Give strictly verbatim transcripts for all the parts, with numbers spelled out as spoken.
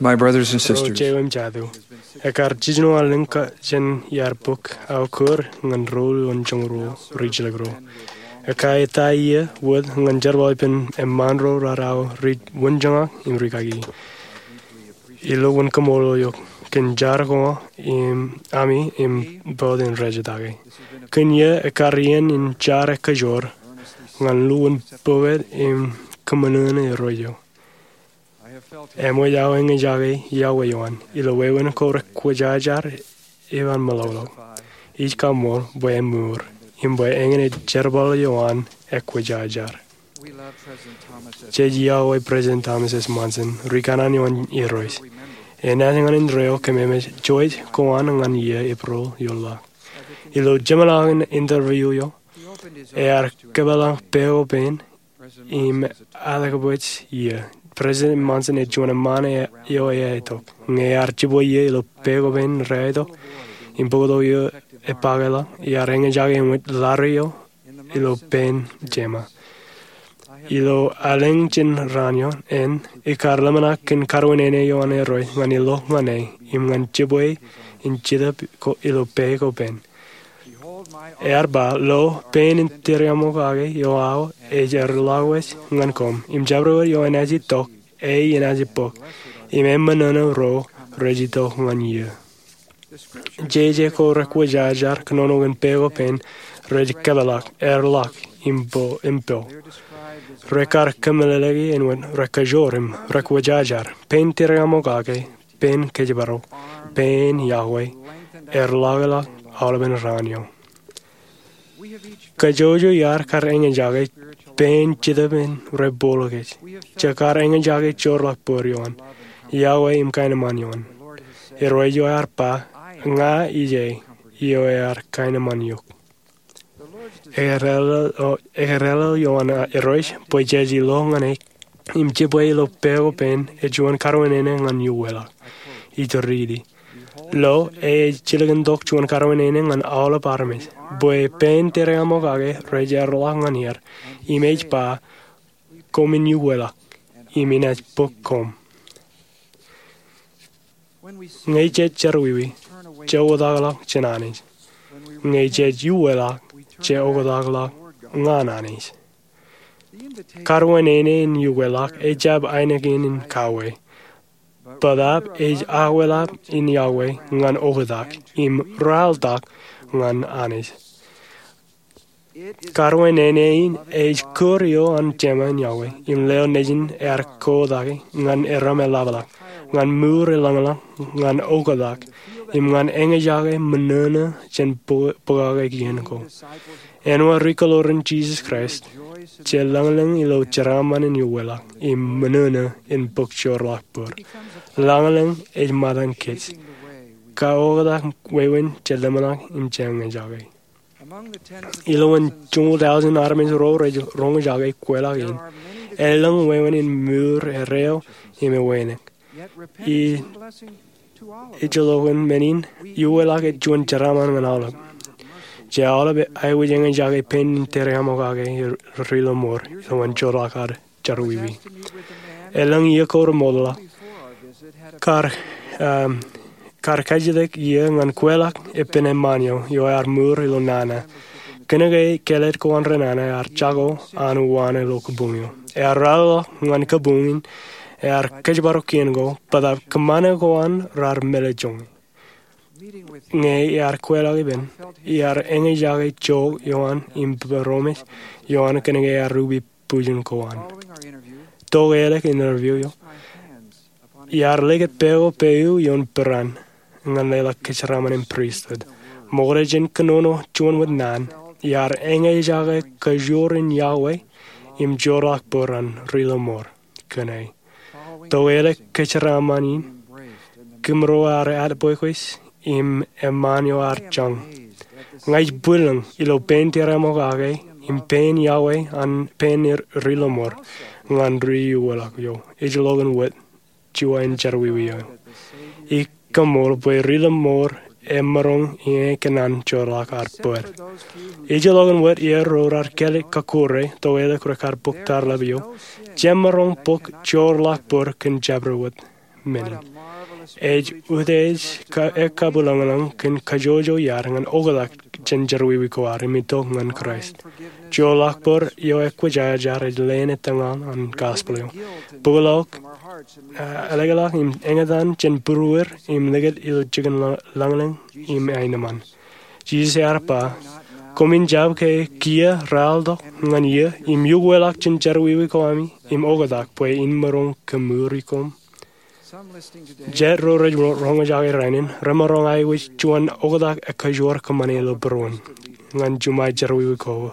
My brothers and Ro sisters, jeiū im jatū, ekkar jiljino allōñ jān iar bōk aō kōr ñan ro wūjoñ ro rijjilōk ro. Ekā etae iiō wōt ñan jerbal ippān eṃṃaan ro raar aō ri wūnjañak im rikaki. Ilo wūn kaṃṃoolol eok kōn jar ko ami im bōd in rej etake. Kōn iiō ekkar iien in jar ekajoor ñan lukkuun bōkōt im kōṃṃan eo. Eṃōj aō eñjake yokwe eo an ilo wāween ko rekwōjajar eo an meḷọkḷọk. Ij kaṃṃool bwe emour im bwe eñin ej jerbal eo an ekwōjajar. Jej yokwe President Thomas S. Monson ri kanaan eo an Irooj. Enaaj ñan indeeo kōmemeej juon ko an ñan iiō April ioḷaak. Ilo jeṃḷọkin interview eo, ear kōpeḷḷọk pā ko pān im atakbwij iiō. President Monson ej juon eṃṃaan eo eaetok. Ñe ear jibwe iiō ilo pā ko pān reaetok im bōktok eo epakḷọk, ear eñjake eṃōj ḷadik eo ilo pān jeṃa. Ilo allōñ jān raan eo an, ekkar ḷōmṇak kōn karuwaineene eo an Irooj ñan ilo ñan e im ñan jibwe in jetōb ilo pā ko pān. Ear ba, lo, pān in tiriaṃokake eo aō ej erḷọkwōj ñan koṃ, im jabdewōt eo enaaj itok, e enaaj bōk, im eṃōṇōṇō ro rej itok ñan iiō. Jeje ko rekwōjajar kōnono kōn pā ko pān rej kōpeḷḷọk, erḷọk, im po, im po. Rekar kōmeḷeḷeiki āinwōt rekajoor im rekwōjajar, pān tiriaṃokake, pān kōjparok, pān yokwe, erḷọkḷọk aolepān raan eo. Kajjojo iar kar eñjake pān jetōb in rej bōkḷọk kōj. Jekar eñjake joorḷọk bōd eo an yokwe im kaenōṃṃan eo an. Irooj eo ear ba, ña ij e eo ear kaenōṃṃan eok. Ekōrālō eo an Irooj bwe jej ilo ñan e im jibwe ilo pā ko pān ej juon karuwaineene ñan iuweḷọk. Ij riiti. Lo, e ej jilkintok juon karuwaineene ñan aolep armej bwe pān tiriaṃokake rej erḷọk ñan er, im ej ba, koṃwin iuweḷọk, im inaaj bōk koṃ. Ñe jej jerọwiwi, je oktakḷọk jān Anij. Ñe jej iuweḷọk, je oktakḷọk ñan Anij. Karuwaineene in iuweḷọk ejjab ainikien in kawe. Bōtaab ej akwelap in yokwe ñan oktak im ralitōk ñan Anij. Karuwaineene in ej kūr eo an jeṃa in yokwe im lewōj nejin ear kotak ñan erom eḷapḷọk, ñan mour elōñḷọk, ñan oktak, im ñan eñjake ṃōṇōṇō jān bō-, bōkake kien ko. Āinwōt ri kōḷoor in Jisōs Kraist, je lōñlōñ ilo jeraaṃṃan in iuweḷọk im ṃōṇōṇō in bōk joorḷọk bōd. Lōñlōñ ej ṃōttan kōj. Kaoktak wāween je ḷōmṇak im je eñjake. Ilowaan joñoul tọujin armej ro rej roñjake kweilọk in, elōñ wāween in mour erreo im ewānōk. Ij, ijellọkin men in, iuweḷọk ej juon jeraaṃṃan ñan aolep. Je aolep aikuj eñjake pān in tiriaṃokake ri lọmọọr ilowaan joorḷọk ad jerọwiwi. Elōñ iiō ko remootḷọk, kar, um, kar kajjitōk iiō ñan kweilọk ippān eṃṃaan eo, eo ear mour ilo nana. Kōnke kālet ko an ri nana ear jako an uwaan ilo kabuñ eo. Ear ralitōk ñan kabuñ in, ear kōjparok kien ko, bōtaab kōṃṃane ko an raar mālejjoñe. Ñe ear kweilọk ippān, ear eñjake jook eo an im būroṃōj eo an kōnke ear ubi bwijin ko an. Tok ālikin interview eo, iar likūt pā ko pān ioon peran ñan leḷọk kōjeraaṃṃan in pristut. Ṃokta jān kōnono juon wōt naan, iar eñjake kajoor in yokwe im joorḷọk bōd an ri lọmọọr kōn e. Tok ālik kōjeraaṃṃan in, kōmro ar atbwekbwej im eṃṃaan eo ar jañ. Ña ij bwilōñ ilo pān tiriaṃokake im pān yokwe an pān ri lọmọọr ñan ri iuweḷọk eo. Ijellọkin wōt juon jerọwiwi eo. Ij kaṃṃool bwe ri lọmọọr emaroñ in kōṇaan joorḷọk ad bōd. Ijellọkin wōt iiō ro raar kālet kọkkure tok ālik rekar bōk tarlap eo, jemaroñ bōk joorḷọk bōd kōn jabdewōt. men in. Ej utiej ka-, ekabwilōñlōñ kōn kajjojo iaad ñan oktak jān jerọwiwi ko ad im itok ñan Kraist. Joḷọk bōd eo ekwōjarjar ej leen etōñal an gospel eo. Bōkḷọk, ah, ḷọkḷọk im eñtaan jān būruod im likūt ilo jikin lañ-, lañlōñ im aenōṃṃan. Jisōs ear ba, koṃwin jab ke kiiō raeltok ñan iiō im iukweḷọk jān jerọwiwi ko ami im oktak bwe in maroñ kōmuri koṃ? Jet ro rej ro-, roñjake rainin remaroñ aikuj juon oktak ekajoor kōṃṃane ilo būruon ñan juṃae jerọwiwi ko.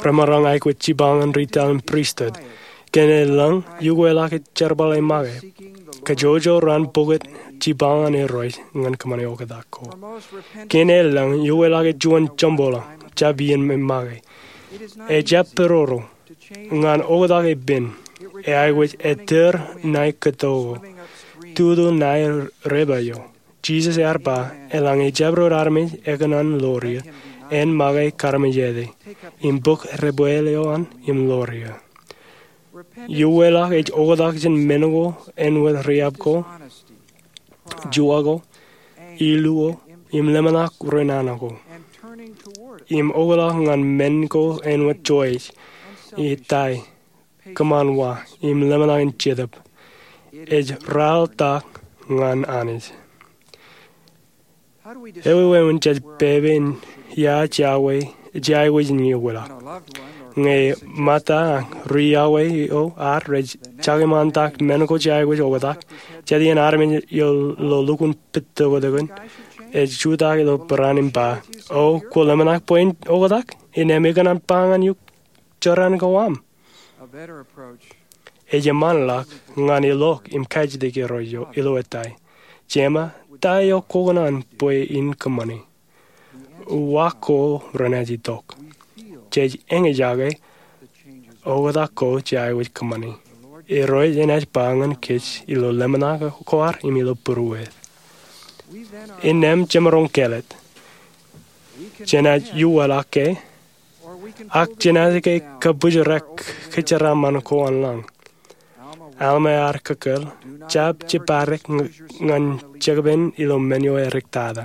Remaroñ aikuj jipañ ñan retail im pristut. Kōn e lañ iukweḷọk ej jerbal e make. Kajjojo raan pokot jipañ ñan Irooj ñan kōṃṃane oktak ko. Kōn e lañ iukweḷọk ej juon joṃboḷọk, jab iien make. Ejjab pedorō ñan oktak epen. E aikuj ettōr ṇae kōto ko, tutu ṇae reba eo. Jisōs ear ba, eḷaññe ejjab ro armej ekōṇaan ḷoor eō, en make karmejete, im bōk debwāāl eo an im ḷoor eō. Iukweḷọk ej oktak jān men ko āinwōt riab ko, juwa ko, ilu ko, im lemṇak ri nana ko. Im oktak ñan men ko āinwōt joij, itai, kōṃanwa, im lemṇak in jetōb. Ej raeltok ñan Anij. Ewi wāween jej pepe in ia jea aikuj in iukweḷọk? Ñe ṃōtta ri iọkwe eo ad rej jakemantak men ko jej aikuj oktak, jet iien armej eo ilo lukkuun pād tokōtōkōn ej jutak ilo barāinwōt im ba, o, kwō lemṇak bwe in oktak? Innām ikōṇaan ba ñan eok jorrāān ko aṃ. Ej eṃṃanḷọk ñan ilọk im kajjitōk Irooj ilo etai. Jema, ta eo kwō kōṇaan bwe in kōṃṃane? Uwaak ko renaaj itok. Jej eñjake oktak ko jej aikuj kōṃṃane. Irooj enaaj ba ñan kōj ilo lemṇak ko ad im ilo būruod. Innām jemaroñ kāālōt. Jenaaj iukweḷọk ke, ak jenaaj ke kabwijrek kōjeraaṃṃan ko an lañ. Alma ear kōkkōl, jab jeppadik ñan jekpen ilo men eo eriktata.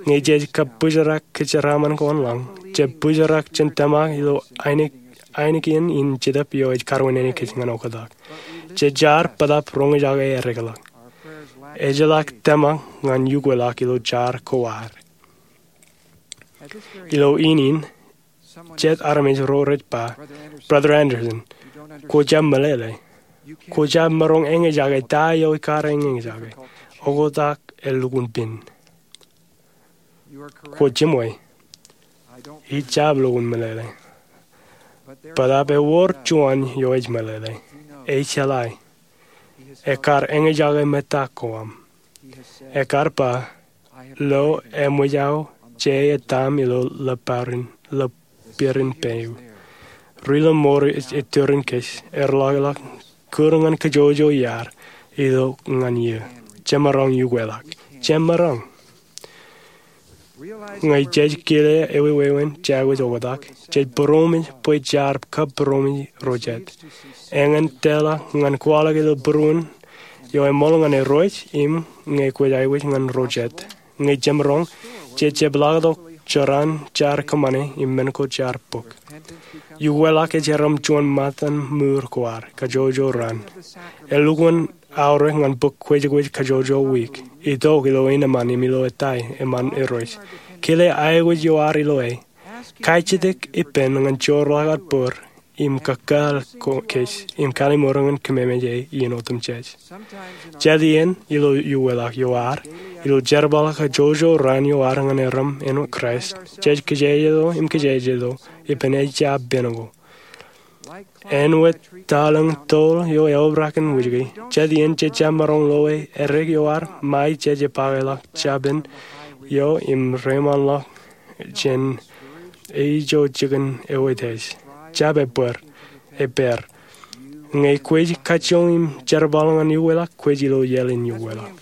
Ñe jej kabwijrek kōjeraaṃṃan ko an lañ, jej bwijrek jān tōmak ilo ainikien in jetōb eo ej karuwainene kōj ñan oktak. Jej jaar bōtaab roñjake eddekḷọk. Ejjeḷọk tōmak ñan iukweḷọk ilo jar ko ad. Ilo iien in, jet armej ro rej ba, Brother Andersen, kwō jab meḷeḷe. Kwō jab maroñ eñjake ta eo ikar eñjake. Oktak elukkuun pen. Kwō jiṃwe. Ij jab lukkuun meḷeḷe. Bōtaab ewōr juon eo ej meḷeḷe. Ej jeḷā. Ekar eñjake ṃōttan ko aṃ. Ekar ba, lo eṃōj aō je etam ilo ḷōpārin, ḷōpārin peiū. Ri ḷōṃour ej ettōrin kōj, erḷọkḷọk kūr ñan kajjojo iaad, itok ñan eō. Jemaroñ iukweḷọk. Jemaroñ. Ñe jej kile ewi wāween jej aikuj oktak, jej būroṃōj bwe jaar kab būroṃōj ro jet. Eñin tōlḷọk ñan kwaḷọk ilo būruon eo eṃool ñan Irooj im ñe kwōj aikuj ñan ro jet. Ñe jemaroñ, jej jepḷaaktok jorrāān jaar kōṃṃane im men ko jaar bōk. Iukweḷọk ej erom juon ṃōttan mour ko ad, kajjojo raan. Elukkuun aorōk ñan bōk kwōjkwōj kajjojo wiik. Itok ilo eṇ eṃṃan im ilo etai eṃṃan Irooj. Kile aikuj eo ad ilo e. Kajjitōk ippān ñan jeorḷọk aō bōd im kōkāāl kōj im kalliṃur ñan kōmemeje iien otemjej. Jet iien ilo iukweḷọk eo ad, ilo jerbal kajjojo raan eo ad ñan erom āinwōt Kraist, jej kōjejjeḷọk im kōjejjeḷọk ippān ejja pen ko. Āinwōt taḷōñ toḷ eo eobrak in wūjke, jet iien jej jab maroñ loe eddek eo ad ṃae jej jepakḷọk japen eo im reiṃaanḷọk jān eo ijo jikin eo ej. Jab ebbōd, epaad. Ñe kwōj kajjioñ im jerbal ñan iukweḷọk, kwōj ilo iaḷ in iukweḷọk.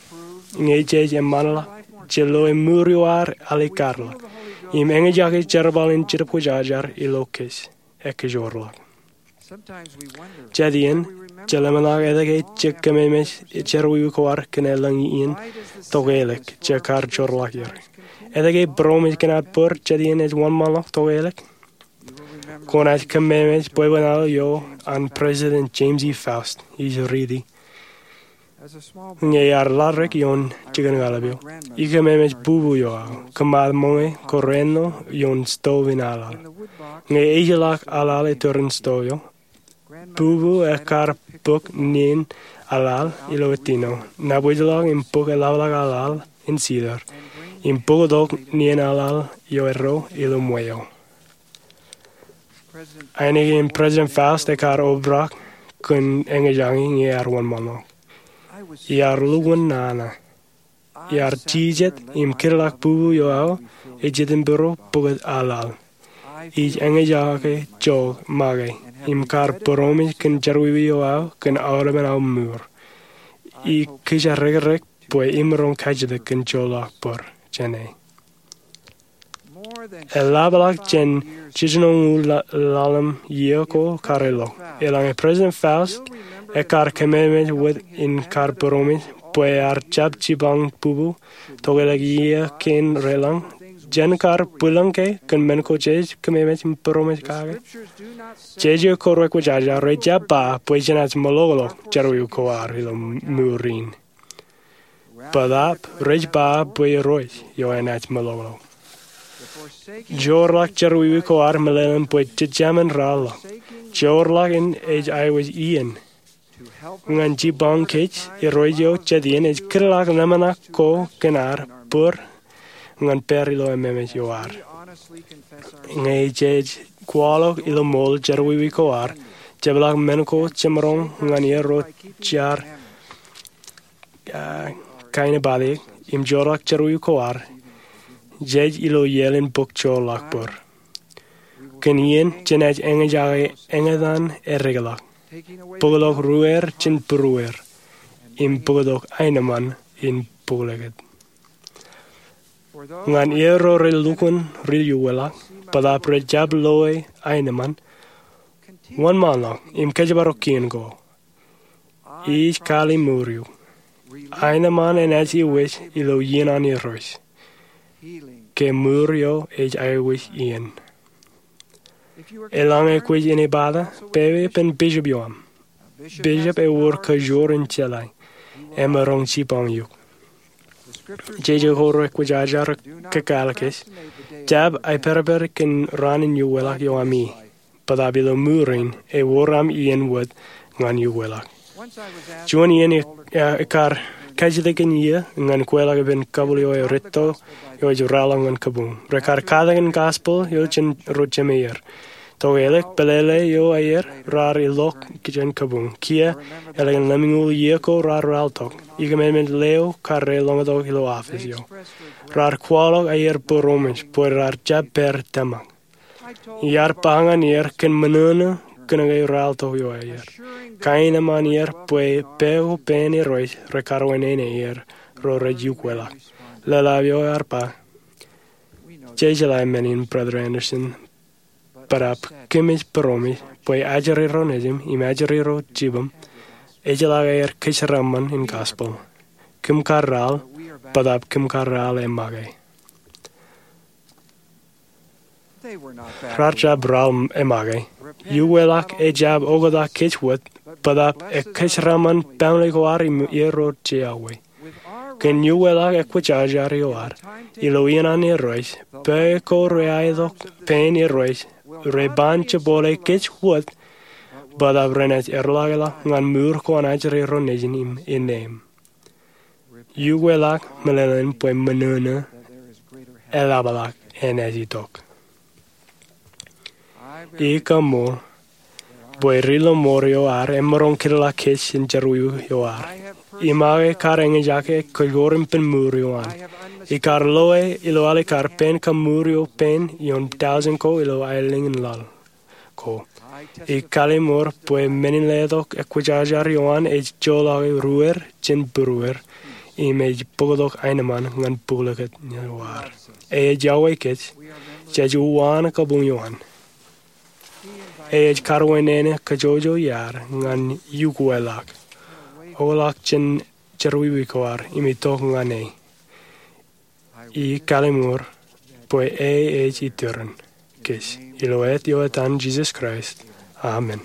Ñe jej eṃṃanḷọk, jej loe mour eo ad alikkar ḷọk im eñjake jerbal in Jetōb Kwōjarjar ilo kōj. Ekkōjorḷọk. Jet iien, Jeḷā ḷōmṇak etke ej kōmeemej jerọwiwi ko ad kōn elōñ iien tokālik jekar joorḷọk er? Etke ej būroṃōj kōn ad bōd jet iien ej wōnṃaanḷọk tokālik? Kwōnaaj kōmeemej bwebwenato eo an President James E. Faust ij riiti ñe ear laḷ rik ioon jikin kaḷap eo. Ikōmeemej bubu eo aō, kōṃṃan ṃōñā ko reno ioon stove in aḷaḷ. Ñe ejjeḷọk aḷaḷ iturin stove eo, bubu ekkar bōk nien aḷaḷ ilo ettino, nabōjḷọk im bōk eḷapḷọk aḷaḷ in cedar, im bōktok nien aḷaḷ eo erro ilo ṃweo. Ainikien President Faust ekkar obrak kōn eñjake ñe ear wōnṃaanḷọk. Iar lukkuun nana. Iar jijet im kidḷọk bubu eo aō ej ippān bōro bōktok aḷaḷ. Ij eñjake joñak make im kar būroṃōj kōn jerọwiwi eo aō kōn aolepen aō mour. Ij kijerrekrek bwe imaroñ kajjitōk kōn joorḷọk bōd jāne. Eḷapḷọk jān jiljinoñoul ḷalem iiō ko kar ilo, eḷaññe President Faust ekkar kōmeemej wōt im kar būroṃōj bwe ear jab jipañ bubu tokālik iiō kein reḷañ, jen kar bwilōñ ke kōn men ko jej kōmeemej im būroṃōj kake? Jeje ko rekwōjarjar rej jab ba bwe jenaaj meḷọkḷọk jerọwiwi ko ad ilo mour in. Bōtaab rej ba bwe Irooj eo enaaj meḷọkḷọk. Joorḷọk jerọwiwi ko ad meḷeḷein bwe jejāmin raorḷọk. Joorḷọk in ej aikuj iien ñan jipañ kōj. Irooj eo jet iien ej kidḷọk ḷōmṇak ko kōn ad bōd ñan pād ilo ememej eo ad. Ñe jej kwaḷọk ilo ṃool jerọwiwi ko ad, jepḷọk men ko jemaroñ ñan er ro jar, ah, kain eo bōtaab im joorḷọk jerọwiwi ko ad, jej ilo iaḷ in bōk joorḷọk bōd. Kōn iien jenaaj eñjake eñtaan eddekḷọk, bōktok ruer jān būruer, im bōktok aenōṃṃan in bōklōkōt. Ñan er ro rej lukkuun ri-uweḷọk bōtaab rej jab loe aenōṃṃan, wōnṃaanḷọk im kōjparok kien ko. Ij kaliimour eok. Aenōṃṃan enaaj iwōj ilo iien an Irooj ke mour eo ej aikuj iien. Eḷaññe kwōj inepata, pepe ippān bishop eo aṃ. Bishop ewōr kajoor in jeḷā. Emaroñ jipañ eok. Jeje ko rekwōjarjar kōkāāl kōj, jab aipedped kōn raan in uweḷọk eo aṃ ie. Bōtaab ilo mour in ewōr aṃ iien wōt ñan uweḷọk. Juon iien, eh, ekkar kajjitōk in iiō ñan kweilọk ippān kabwil eo eretto eo ej raorōk ñan kabuñ. Rekar katakin gospel eo jān ro jemāer. Tokālik pālele eo aer raar ilọk jān kabuñ. Kiiō, ālikin lemñoul iiō ko raar raorōk. Ikōmeemej leo kar reḷọñtok ilo office eo. Raar kwaḷọk aer būroṃōj bwe raar jab pād tōmak. Iar ba ñan er kōn ṃōṇōṇō kōnke raorōk eo aer, kaenōṃṃan er bwe pā ko pān Irooj rekar wāween aer ro rej uweḷọk. Leḷḷap eo ear ba, jejeḷā men in, Brother Anderson, bōtaab kōmij būroṃōj bwe ajri ro nejim im ajri ro jibōm ejjeḷọk aer kōjeraaṃṃan in gospel. Kōm kar raorōk, bōtaab kōm kar raorōk emake. Raar jab raorōk emake. Uweḷọk ejjab oktak kōj wōt, bōtaab ekōjeraaṃṃan baaṃle ko ad im er ro jeiū. Kōn uweḷọk ekwōjarjar eo ad ilo iien an Irooj, pā ko reaetok pān Irooj reban jebwābwe kōj wōt, bōtaab renaaj erḷọkḷọk ñan mour ko an ajri ro nejin im innām. Uweḷọk meḷeḷein bwe ṃōṇōṇō eḷapḷọk enaaj itok. Ij kaṃṃool bwe ri-lọmọọr eo ad emaroñ kōtḷọk kōj jān jerọwiwi eo ad. Im aō kar eñjake kōjkor ippān mour eo an. Ij kar loe ilo alikkar pān kaṃṃoor eo pān ioon tọujin ko ilo aelōñ in laḷ ko. Ij kallimur bwe men in letok ekwōjarjar eo an ej joḷọk ruer jān būruer, im ej bōktok aenōṃṃan ñan bōklōkōt eo ad. Ej iọkwe kōj, jej uwaan kabuñ eo an. E ej karuwainene kajjojo iaad ñan iukwelọk, oḷọk jān jerọwiwi ko ad im itok ñan e. Ij kallimur bwe e ej iturin kōj. Ilo āt eo etan Jisōs Kraist, amen.